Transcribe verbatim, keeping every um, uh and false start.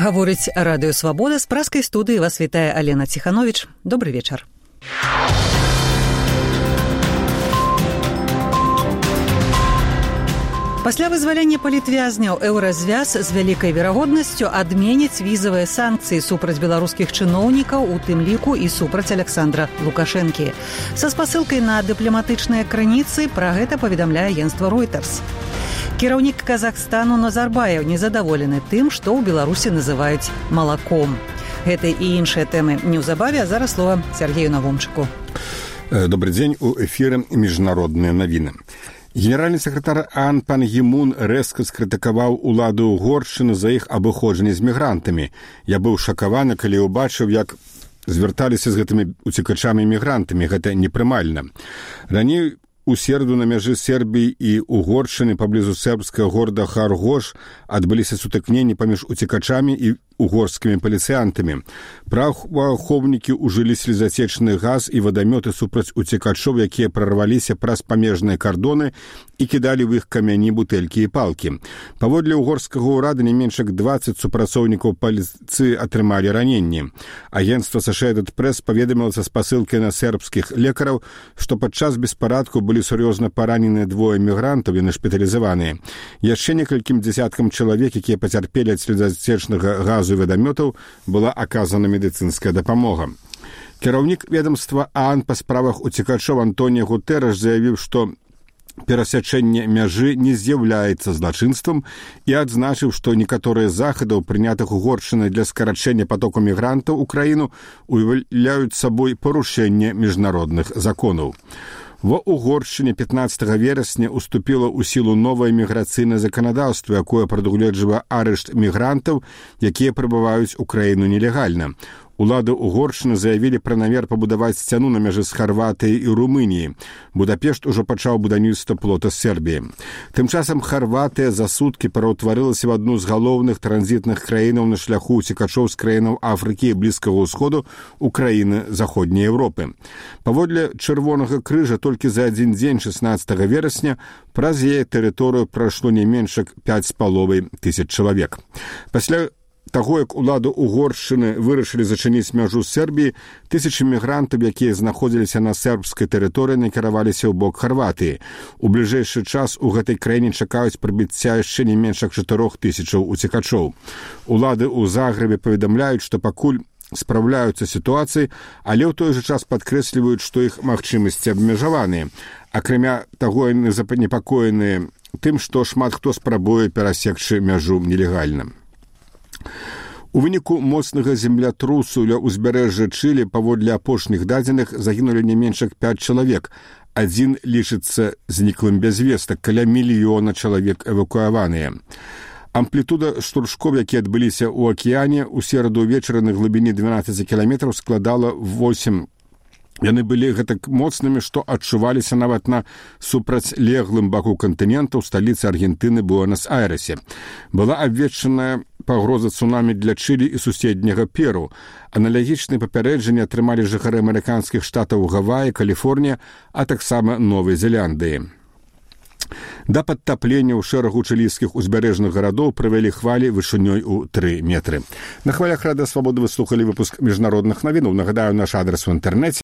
Гаворыць радыё «Свабода», з праскай студыі вас вітае Алена Ціхановіч. Добры вечар. Пасля вызвалення палітвязняў еўразвяз з вялікай верагоднасцю адменіць візавыя санкцыі супраць беларускіх чыноўнікаў, у тым ліку і супраць Александра Лукашэнкі. Са спасылкай на дыпламатычныя крыніцы пра гэта паведамляе агенцтва Reuters. Кіраўнік Казахстану Назарбаев незадаволены тым, што ў Беларусі называюць малаком. Гэта і іншыя тэмы неўзабаве, а зараз слова Сергею Навомчыку. Добрый дзень, у эфіры міжнародныя навіны. Генеральны сакратар ААН пан Гі Мун рэзка скрытыкаваў уладу Угоршчыны за іх абыходжанне з мігрантамі. Я быў шакаваны, калі ўбачыў, як звярталіся з гэтымі уцекачамі і мігрантамі. Гэта непрымальна. Раней у середу на мяжы Сербіі і Угоршчыны паблізу сербскага горада Харгош адбыліся сутыкненні паміж уцекачамі і угорскімі паліцыянтамі. Праваахоўнікі ўжылі слезацечны газ і вадамёты супраць уцекачоў, якія прарваліся праз памежныя кардоны і кідалі ў іх камяні, бутэлькі і палкі. Паводле угорскага ўрада не менш як дваццаць супрацоўнікаў паліцыі атрымалі раненні. Агенцтва Associated Press паведаміла са спасылкай на сербскіх лекараў, што падчас беспарадку былі сур'ёзна параненыя двое мігрантаў, яны шпіталізаваныя. Яшчэ некалькім дзясяткам чалавек, якія пацярпелі ад слезацечнага газу і вадамётаў, была аказана медыцынская дапамога. Кіраўнік ведамства ААН па справах уцекачоў Антоніо Гутэрэш заявіў, што перасячэнне мяжы не з'яўляецца злачынствам і адзначыў, што некаторыя захадаў, прынятых Угоршчынай для скарачэння потоку мігрантаў у краіну, уяўляюць сабой парушэнне міжнародных законаў. Ва Угоршчыне пятнаццатага верасня уступіла ў сілу новае міграцыйнае заканадаўства, якое прадугледжвае арышт мігрантаў, якія прыбываюць у краіну нелегальна. Улады Угоршчыны заявілі пра намер пабудаваць сцяну на мяжы з Харватыяй і Румыніяй. Будапешт ужо пачаў будаўніцтва плота з Сербіі. Тым часам Харватыя за суткі пераўтварылася в адну з галоўных транзітных краінаў на шляху уцекачоў з краінаў Афрыкі і Блізкага ўсходу ў краіны Заходняй Еўропы. Паводле Чырвонага крыжа толькі за адзін дзень шаснаццатага верасня праз яе тэрыторыю прайшло не менш як пяць з паловай тысяч чалавек. Пасля таго, як улады Угоршчыны вырашылі зачыніць мяжу з Сербіі, тысячы мігрантаў, якія знаходзіліся на сербскай тэрыторыі, накіраваліся ў бок Харватыі. У бліжэйшы час у гэтай краіне чакаюць прыбыцця яшчэ не менш як чатырох тысячаў уцекачоў. Улады ў Загрэбе паведамляюць, што пакуль спраўляюцца сітуацыі, але ў той жа час падкрэсліваюць, што іх магчымасці абмежаваныя. Акрамя таго, яны занепакоеныя тым, што шмат хто спрабуе перасекчы мяжу нелегальна. У выніку моцнага землятрусу ля ўзбярэжжа Чылі паводле апошніх дадзеных загінулі не менш як пяць чалавек. Адзін лічыцца зніклым без вестак, каля мільёна чалавек эвакуяваныя. Амплітуда штуршкоў, якія адбыліся ў акіяне, у сераду ўвечары на глыбіні дванаццаць кіламетраў складала восем. Яны былі гэтак моцнымі, што адчуваліся нават на супрацьлеглым баку кантынента ў сталіцы Аргентыны Буэнас-Айрэсе. Была абвешчаная пагроза цунамі для Чылі і суседняга Перу. Аналагічныя папярэджанні атрымалі жыхары амерыканскіх штатаў Гаваі, Каліфорнія, а таксама Новай Зеландыі. Да падтаплення ў шэрагу чылійскіх узбярэжных гарадоў прывялі хвалі вышынёй у тры метры. На хвалях радыё «Свабода» вы слухалі выпуск міжнародных навінаў. Нагадаю, наш адрес у інтэрнэце